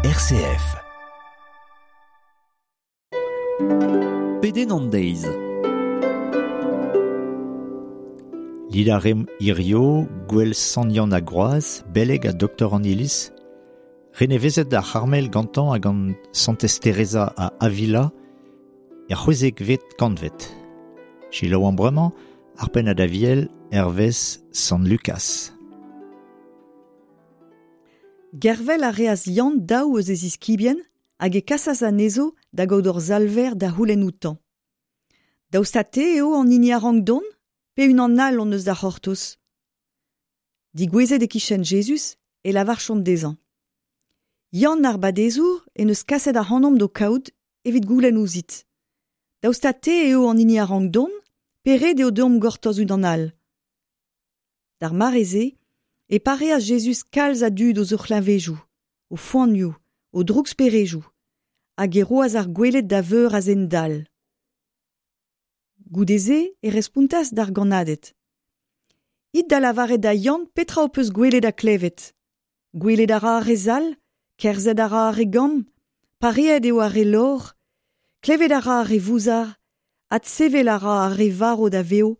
RCF. Pedenn an deiz. Lila rem hirio, gwell Sant Yann a Groaz, beleg ha doktor an iliz, renevezet ar C'harmel gantañ hag an Santez Teresa a Avila er c'hwezekvet kantved. Selaou an bremañ, ar pennad aviel hervez Sant Lukas. Gervel a reas Yann daou eus e ziskibien hag e kasas anezho da gaout ur salver da c'houlenn outañ. Daoust ha te eo an hini a rank dont, pe unan all hon eus da c'hortoz? Digouezet e-kichen Jezuz e lavarchont dezhañ. Yann ar Badezour en deus kaset ac'hanomp d'ho kaout evit goulenn ouzhit. Daoust ha te eo an hini a rank dont, pe ret eo deomp gortoz unan all? D'ar mare-se e pareas Jezuz kalz a dud eus o c'hleñvedoù, o foanioù, o drouksperejoù, hag e roas ar gweled da veur a zen dall. Goude-se e respontas d'ar gannaded. It da lavaret da Yann petra ho peus gwelet ha klevet. Gwelet a ra ar re zall, kerzhet a ra ar re gamm, pareet eo ar re lor, klevet a ra ar re vouzar, adsevel a ra ar re varv da vev,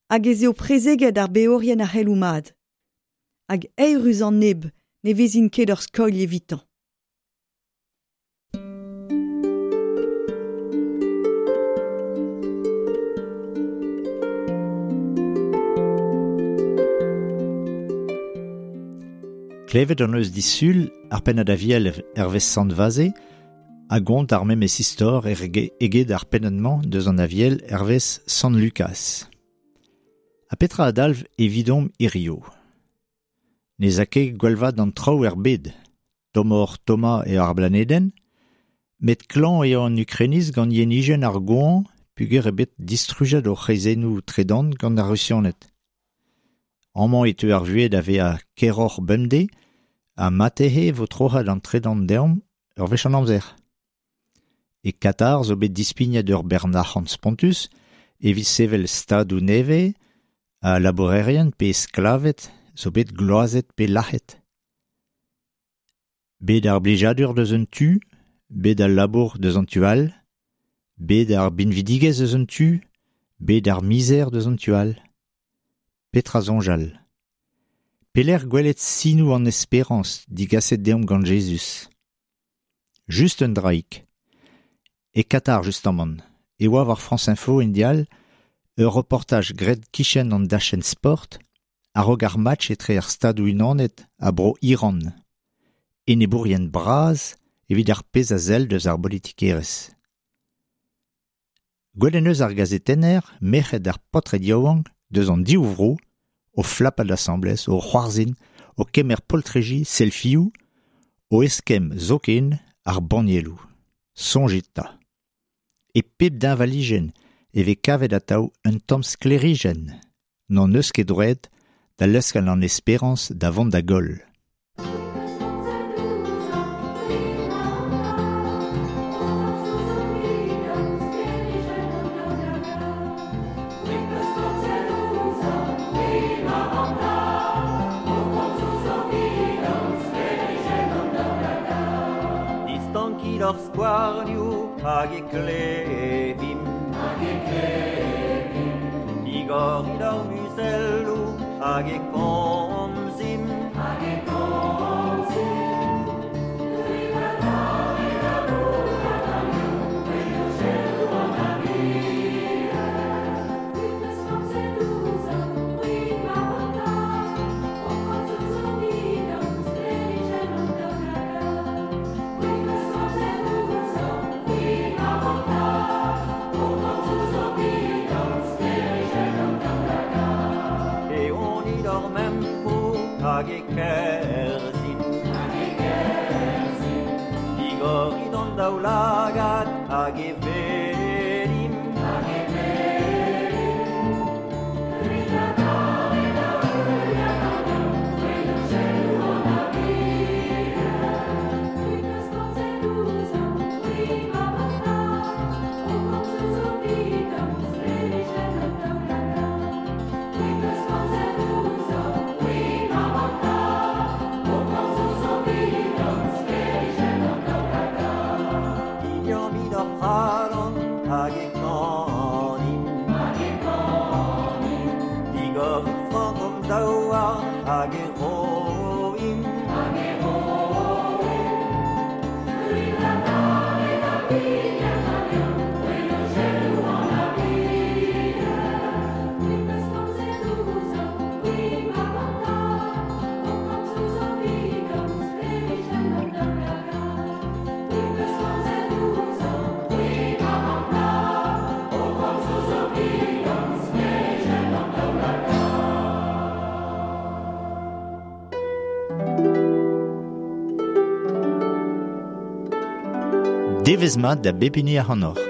hag ez eo prezeget ar beorien ar c'heloù mat. Hag eürus an neb ne vezin ket ur skoilh evitañ. Klevet hon eus disul ar pennad aviel hervez Sant Vaze a gont ar memes istor eget ar pennad-mañ deus an aviel hervez Sant Lukas. Ha petra a dalv evidomp hirio? Ne 'z a ket gwellvat an traoù er bed, tommoc'h tommañ eo ar blanedenn, met klañv eo an Ukrainiz gant yenijenn ar goañv peogwir eo bet distrujet o c'hreizennoù tredan gant ar Rusianed. Amañ e teu ar vuhez da vezañ keroc'h bemdez ha marteze e vo troc'het an tredan deomp ur wech an amzer. E Katar zo bet dispignet ur bern arc'hant spontus evit sevel stadoù nevez ha labourerien pe sklaved zo bet gloazet pe lazhet. Bet ar blijadur deus un tu, bet al labour deus an tu all, bet ar binvidigezh deus un tu, bet ar mizer deus an tu all. Petra soñjal? Pelec'h gwelet sinoù an esperañs digaset deomp gant Jezuz? Just un draig. E Katar justamant e oa war France Info en dial ur reportaj graet kichen an dachenn sport a-raok ar match etre ar Stadoù-Unanet ha bro Iran. Enebourien bras evit ar pezh a sell deus ar bolitikerezh. Gwelet en deus ar gazetenner merc'hed ar paotred yaouank deus an div vro o flapat asambles, o c'hoarzhin, o kemer poltreji, selfioù, o eskemm zoken ar bannieloù. Soñjit 'ta. E pep deñvalijenn e vez kavet atav un tamm sklêrijenn. N'hon eus ket droed da leuskel an esperañs da vont da goll. Distankit hor skouarnioù hag e klevimp. Hag e klevimp. Digorit hor muzelloù hag e komzimp. Hag e komzimp. Eonit hor memproù hag e kerzhimp. Hag e kerzhimp. Digorit hon daoulagad hag e welimp. Hag e welimp. Devezh mat da bep hini ac'hanoc'h.